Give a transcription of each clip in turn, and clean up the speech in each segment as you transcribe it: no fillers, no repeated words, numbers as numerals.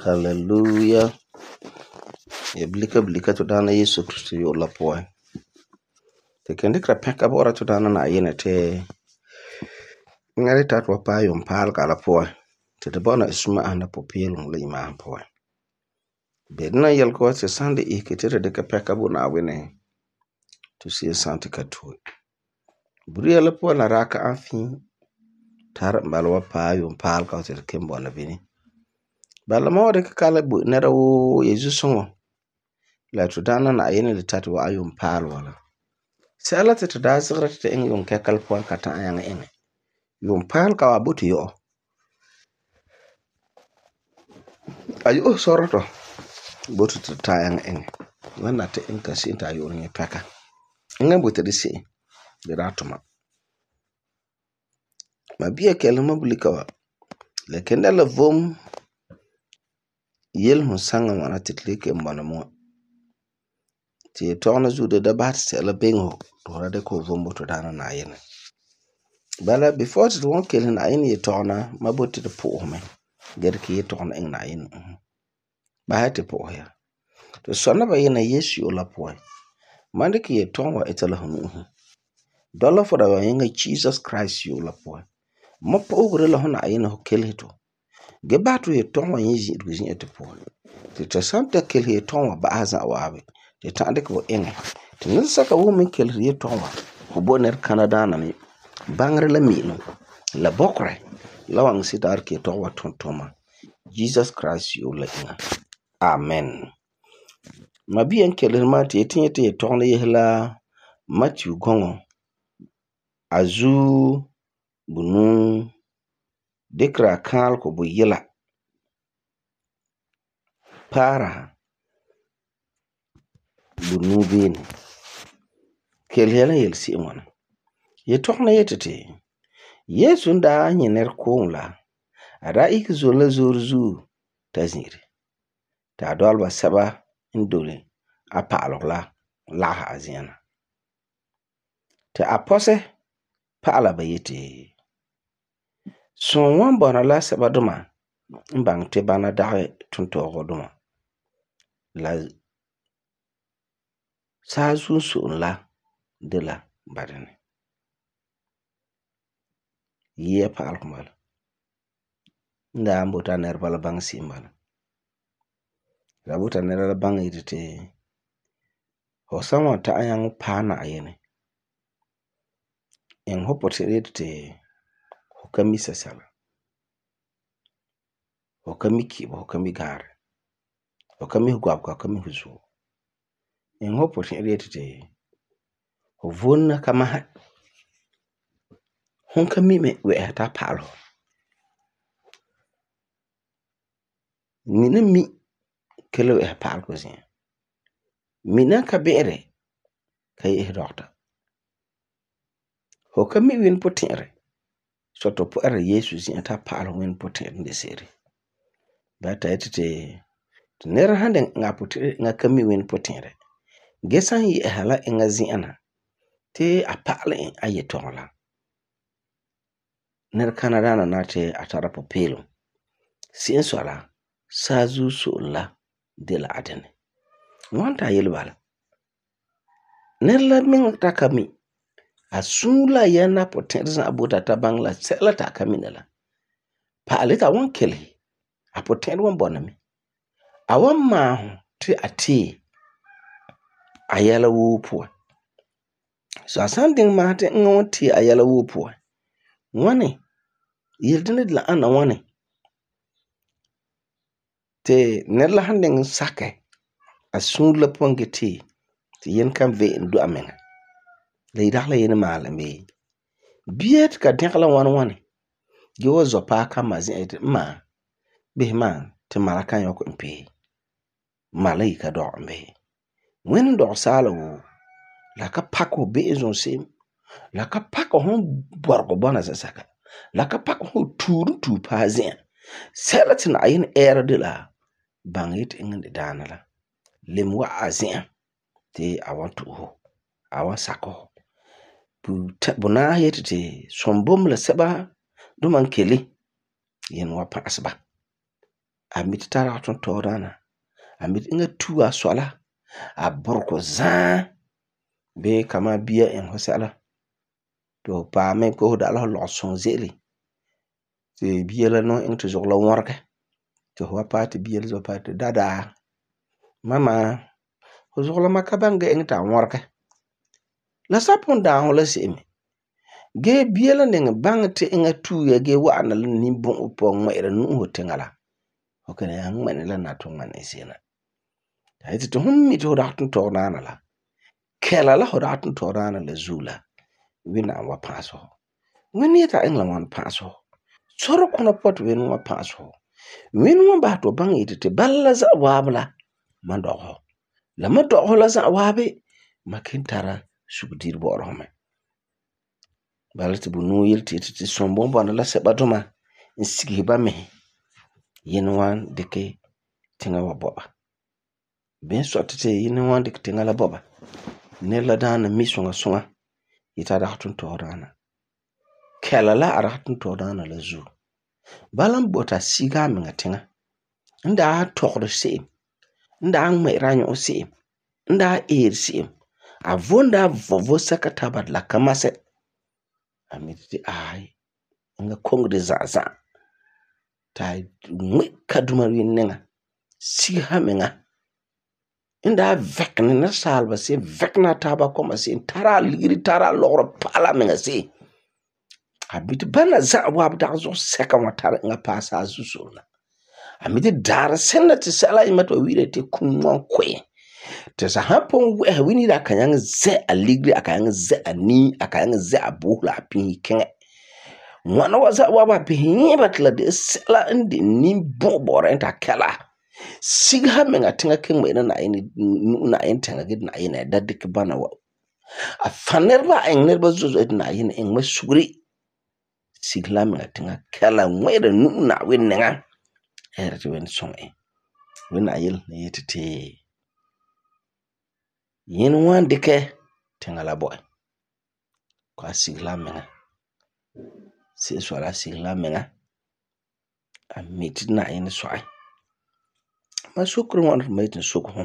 Hallelujah. Ya bilika to Daana Yesu Kristo yu'urɛ la puan. Ti ken dikera pɛka bɔ'ɔra to Daana Na'ayinɛ ti eŋa de ta ti wa paɛ yuunpaalega la puan ti tu bɔna suma'ahum la pupeelum la imaasum puan. Be dena yelege wa ti san de isege ti tu dikɛ pɛka bo Na'ayinɛ to se'em san ti ka tue. Buria la puan la daa ka an fii tare n bala wa paɛ yuunpaalega ti tu kelum bɔna bini. Bala ma wa dikɛ kalam bo nɛra woo ya zusoŋɔ la to Daana Na'ayinɛ le tari wa'an yuunpaale wa la. Sɛla ti tu daa zigera ti tu iŋɛ yuunkɛka la puan ka ta'am nyaŋɛ iŋɛ. Yuunpaalega wa a boti yɔ'ɔ. A yu'urɛ sɔrɔ tɔ boti ti tu ta'am nyaŋɛ iŋɛ. Ŋwana nati iŋɛ ka se'em ti a yu'urɛ nyɛ pɛka. Eŋa n boti di se'em di daa tuma. Ma bia kɛlesɛ ma bulika wa. La ken dɛna la vom yelesum saŋa ŋwana ti tu le kelum bɔna mɛ wa. Ti yetɔgum la zuo di da basɛ ti sɛla biŋe fu ti fu da dikɛ fu vom bo to Daana Na'ayinɛ. Bala before ti tu wan kelesɛ Na'ayinɛ yetɔgum la, ma boti ti tu po'ohɛ mɛ gee dikɛ yetɔgum la iŋɛ Na'ayinɛ nu'usen. Basɛ ti tu po'ohɛ ya. Tu sɔna bayina Yesu yu'urɛ la puan. Ma dikɛ yetɔgum wa ita la fu nu'usen. Dɔla fu dabeŋa Jesus Christ yu'urɛ la puan. Ma po'ohegɔ de la fu Na'ayinɛ fu kelesɛ tu. Gee basɛ ti yetɔgum wa nyɛ zi'irego zi'an tu puan. Ti tu san ta kelesɛ yetɔgum wa ba'asɛ za'a waabi, tu ta'am dikɛ fu iŋɛ. Ti nɛresɛka woo me n keleseri yetɔgum wa, fu bo nɛrekana daana me baŋeri la mi'ilum la bɔkerɛ la wan iŋɛ se'em ti a dikɛ yetɔgum wa tum tuma Jesus Christ yu'urɛ la iŋa. Amen. Ma bia n keleseri mam ti yeti nyɛ ti yetɔgum la yese la Matthew gɔŋɔ a zuo bunuu dikera kaalegɔ buyila paara bunuu beene. Kelesɛ ya la yelese'em ŋwana. Yetɔgum la yeti ti Yesu n daa nyɛ nɛrekooŋɔ la, a daa ihege zom la zoore zuo ta zi'ire. Ti a dɔleba sɛba n doli a pa'alegɔ la lagahɛ a zi'an na. Ti a pɔsɛ pa'ala ba yeti, sum wan bɔna la sɛba duma n baŋɛ ti bana dagɛ tontɔɔgɔ duma la saazuo n so'olum la de la ba dinɛ. Yia pa'alegɔ n bala. N daa n boti a nɛreba la baŋɛ se'em bala. La boti a nɛra la baŋɛ yeti ti fu san wan ta'am nyaŋɛ paɛ Na'ayinɛ, iŋɛ fu puti'irɛ yeti ti fu ka mi sɛsɛla. Fu ka mi ki'ibo, fu ka mi gaarɛ. Fu ka mi fu gɔbega, fu ka mi fu zuo. Iŋɛ fu puti'irɛ yeti ti fu vonna ka masɛ. Fum ka mi me wɛ'ɛha ti a pa'alɛ fu. Mina mi ka le wɛ'ɛha pa'alegɔ zi'an. Mina n ka bi'iri ka ye'ese dɔgeta. Fu ka mi Wini puti'irɛ sɔ ti fu pɔ'ɛra Yesu zi'an ti a pa'alɛ fu Wini puti'irɛ n de se'ere. Bala ti a yeti ti nɛra san diŋɛ iŋɛ a puti'irɛ eŋa ka mi Wini puti'irɛ gee san yɛ'ɛsa la eŋa zi'an na ti a pa'alɛ e a yetɔgum la, nɛrekana daana nari ti a tara pupeelum. Se'em n sɔi la, saazuo so'olum la de la a dinɛ. N wan ta yele bala. Nɛra la miŋa ta ka mi, a suure la a yɛm la a puti'irɛ za'a boti a ta baŋɛ la sɛla ti a ka mina la, pa'alɛ ti a wan kelesɛ, a puti'irɛ wan bɔna mɛ. A wan maahum ti a tee a yɛla woo puan. So a san diŋɛ maahum ti eŋa wan tee a yɛla woo puan, ŋwani? Yele dina de la ana ŋwani ti nɛra la san diŋɛ sakɛ a suure la puan gee tee ti Yinɛ kan ve'e do a miŋa. La dagi la Yinɛ maalɛ e bii? Bia ti ka dɛgɛ la ŋwani gee wa zɔ paɛ kama zi'an yeti ma, bisɛ ma ti ma la kan yɔkɛ e pee. Ma la yi ka dɔgɛ e bii? Ŋwani n dɔgɛ saala woo, la ka pakɛ fu be'em zom se'em. La ka pakɛ fu bɔregɔ bɔna zɛsɛka. La ka pakɛ fu tuure n tue paɛ zi'an. Sɛla ti Na'ayinɛ ɛɛra de la baŋɛ yeti eŋa n de daana la leme wa'a a zi'an ti a wan to'e fu, a wan sakɛ fu. Bunaasi yeti ti sum bo mɛ la sɛba duma n kele, Yinɛ wan pa'asɛ ba. a mit tara ton tɔɔdaana a mit inga tu a sola a burko zaa be kama bia en hosala to pa me ko da la lo son zeli te bia la no en to zogla worke to wa party bia zo party dada mama ho zogla makabanga en ta worke la sapon da ho la semi ge bia la ning bang te inga tu ya ge wa na ni bon po ngere nu ho tengala o kana ya ngene la na to ngane sena ta ite to hummi to da tun to na la kela la ho da tun to na la zula wina wa paso wini ta en la wan paso soro kuna pot win wa paso win wa ba to bang ite te balla za wabla man do ho la ma do ho la za wabe makintara subdir bo ro me balati bu nu yilti ti sombo bon la seba doma insigi ba me yin wan deke tinga wa boba ben sotete yin wan deke tinga la boba ne la dana misunga sunga ita da hatun to rana kela la ara hatun to rana la zu balam bota siga me ngatinga nda tokro se nda me ranyo se nda se avonda vovo sakata bad la kamase amiti ai nga kongde za ta ngwe kaduma winenga siga menga inda vekne na salba se vekna taba koma se tara ligiri tara loro pala menga se abiti bana za wabda zo seka watara nga pasa susuna amiti dara senna ti sala imato wire te kunwan kwe te sa hapon wini da kanyang ze aligri akanyang ze ani akanyang ze abuhla pin kenge wana waza waba pin batla de sala indi ni bobora enta kala sigha menga tinga king me na yin tinga gid na yin da dik bana wa a fanerba en nerba zuzo na yin en masuri sigla menga tinga kala ngwede na winenga erti wen songe wina yil na yetete yin wan dike tinga la boy kwa sigla menga si swala sigla menga a miti na yin soai ma sukru wan maitin sukhu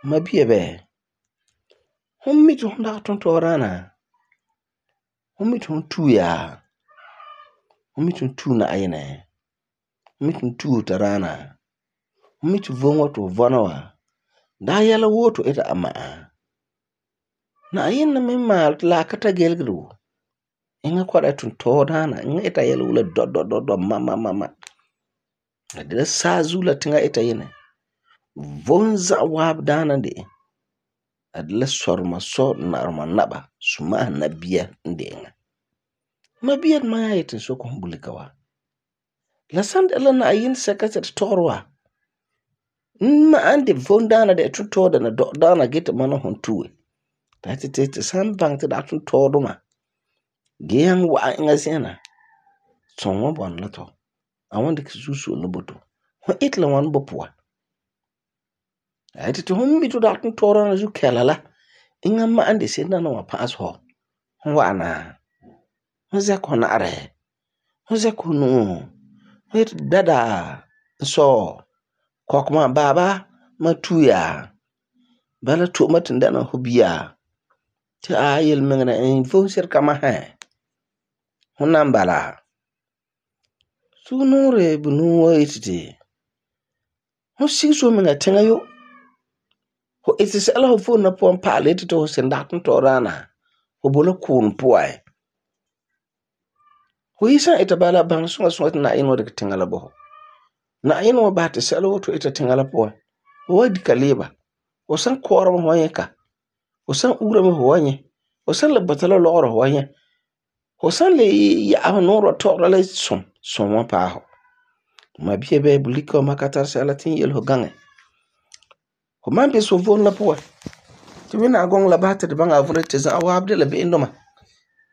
ma biye be hummi to nda ton to rana hummi to tuya hummi to tu na ayene hummi to tu ta rana hummi to vonwa to vonawa da yala woto ita amma na ayin na mimma la kata gelgru inga kwada tun to rana inga ita yala wula do mama da sa zula tinga ita yene vonza wab dana de adla sorma so narma naba suma nabiya ndenga mabiya ma yayitin so ko bulikawa la sand ela na ayin sakatat torwa ma ande vondana de tuto da na do dana gita mana hontuwe tati sam bang ta da tun toduma geyan wa inga sena sonwa bon lato awande kisusu loboto ho itla wan bopwa ayati to humbi to da tun torana zu kelala inga ma ande sena na wa pass ho wana hoze ko na are hoze ko no het dada so kokma baba matuya bala to matin dana hubiya ta ayil mengna en fonsir kama ha hunan bala sunure bunu waitite ho siso menga tengayo ho itise ala ho fon na pon pale to sendatun to rana ho bolo kun puai ho isa ita bala bang sunga na ino de tengala bo na ino ba te selo to ita tengala po ho di kaleba o san koro mo yeka o san ura mo hoanye o san le batalo loro hoanye o san le ya no ro to le son wa pa ho ma biye be buliko makatar sala tin yel ho gange ho man be so von la po to wina gong la bata de banga vure te za wa abdela be indoma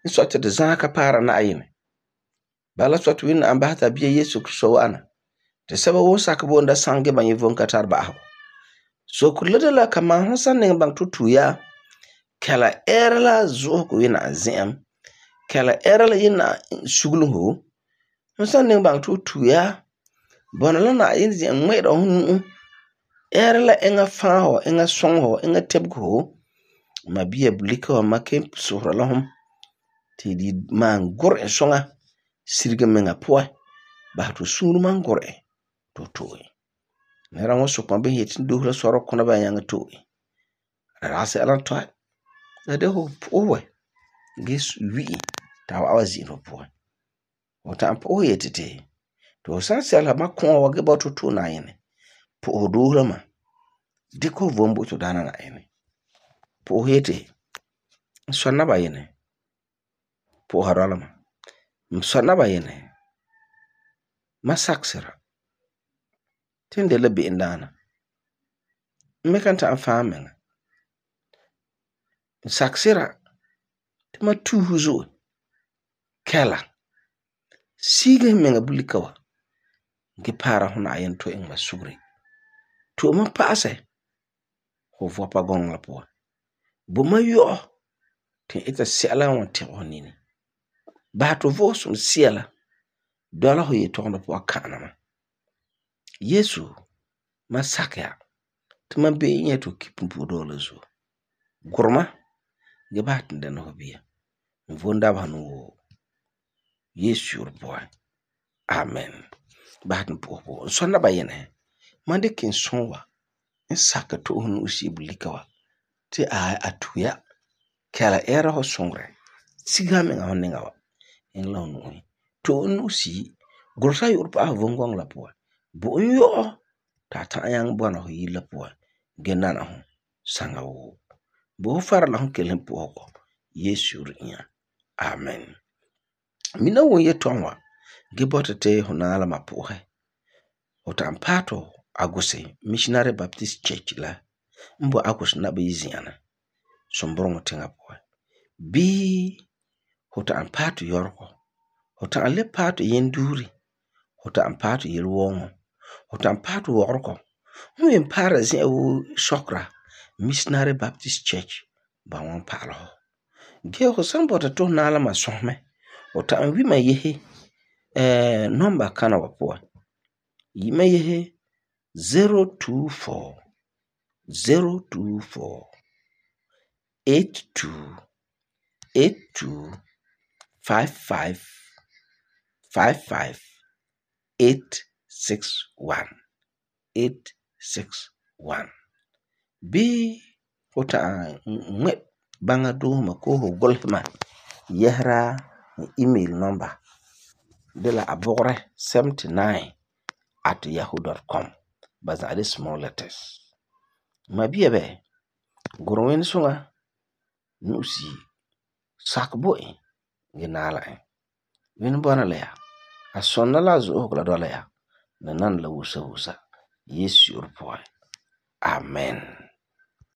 so te de za ka para na ayine bala so to wina ambata biye yesu kristo wana te saba wo sakabo nda sange ban yevon katar ba ho so kulada la kama hasan ne bang tutuya kala erla zo ko wina azem kala erla yina shugluhu hasan ne bang tutuya Bɔna la Na'ayinɛ zi'an ŋmɛ'ɛra hu nu'o. Ɛɛra la eŋa fãa hu, eŋa sɔŋɛ hu, eŋa tebege hu. Mabia bulika wa ma kelum sohora la hum ti di maan gur'ɛ suŋa sirige miŋa puan. Basɛ ti fu suure man gur'ɛ ti fu to'e. Nɛra wan sukɛ ma bisɛ yeti n doose la sɔrɔɔ kuna baya nyaŋɛ to'e. La dagi sɛla n tɔi. La de fu po'ohɛ wɛ gee wi'i ti a wa'ana wa zi'ire fu puan. Fu ta'am po'ohɛ yeti ti fu san sɛlesa ma kɔ'ɔn wa gee bɔta fu to'e Na'ayinɛ, po'ohɛ doose la ma. Dikɛ fu vom bo Tudaana Na'ayinɛ. Po'ohɛ yeti n sɔ Nabayinɛ, po'oha dɔla ma. N sɔ Nabayinɛ, ma sakɛ sira ti n de la be'emdaana. N me kan ta'am fãa n miŋa. N sakɛ sira ti ma tuuse zo'e, kɛla, sigese n miŋa bulika wa gee paara hu Na'ayinɛ tɔgɛ iŋɛ ma sugere. To'e ma pa'asɛ fu vɔpa gɔŋɔ la puan. Bo ma yɔ'ɔ ti n ita sɛla n wan tɛgɛ fu nini. Basɛ ti fu Vo'osum Sea la dɔla fu yetɔgumɔ puan ka'ana ma. Yesu, ma sakɛ ya ti ma be'em nyɛ ti fu ki punpuuredɔɔ la zuo. Gurɛ ma gee basɛ ti n dɛna fu bia. N vom dabeha nu woo. Yesu yu'urɛ puan. Amen. Basɛ ti n po'ohɛ po'ohɛ. N sɔ Nabayinɛ, ma dikɛ n sɔɔ wa n sakɛ to'e fu nu'usi bulika wa ti a tue ya. Kɛla ɛɛra fu suŋerɛ. Sige a miŋa fu niŋa wa iŋɛ la fu nu'usi. To'e n nu'usi. Gurɛ ta yu'urɛ pa'asɛ fu vom gɔŋɔ la puan. Bo e yɔ'ɔ ti a ta'am nyaŋɛ bɔna fu yire la puan gee nana fu saŋa woo. Bo fu fara la fu kelesem po'ohegɔ. Yesu yu'urɛ inya. Amen. Mina n wum yetɔgum wa gee bɔta ti fu naɛ la ma po'ohɛ. Fu ta'am paɛ ti Agusi Missionary Baptist Church la n boi Agusi Nabayi zi'an na, Sumbureŋɔ tiŋa puan. Bii fu ta'am paɛ ti Yɔregɔ. Fu ta'am le paɛ ti Yenduuri. Fu ta'am paɛ ti Yelewɔŋɔ. Fu ta'am paɛ ti Wɔgeregɔ. Fu yen paara zi'an woo sɔkera Missionary Baptist Church ba wan pa'ala fu. Gee fu san bɔta ti fu naɛ la ma sɔsɛ mɛ, fu ta'am wi ma yese number kana wa puan. Yi ma yese 024 82 55 861. Bii fu ta'am ŋmɛ baŋa doose ma koo fu gulesɛ ma yɛsera n email number de la abogre79@yahoo.com. Ba za'a de small letters. Mabia bɛ, gurɛ ŋweni suŋa nu'usi sakɛ bo e gee naala e. Ŋweni bɔna la ya. A sɔna la a zo'osegɔ la dɔla ya. La nana la wusa wusa. Yesu yu'urɛ puan. Amen.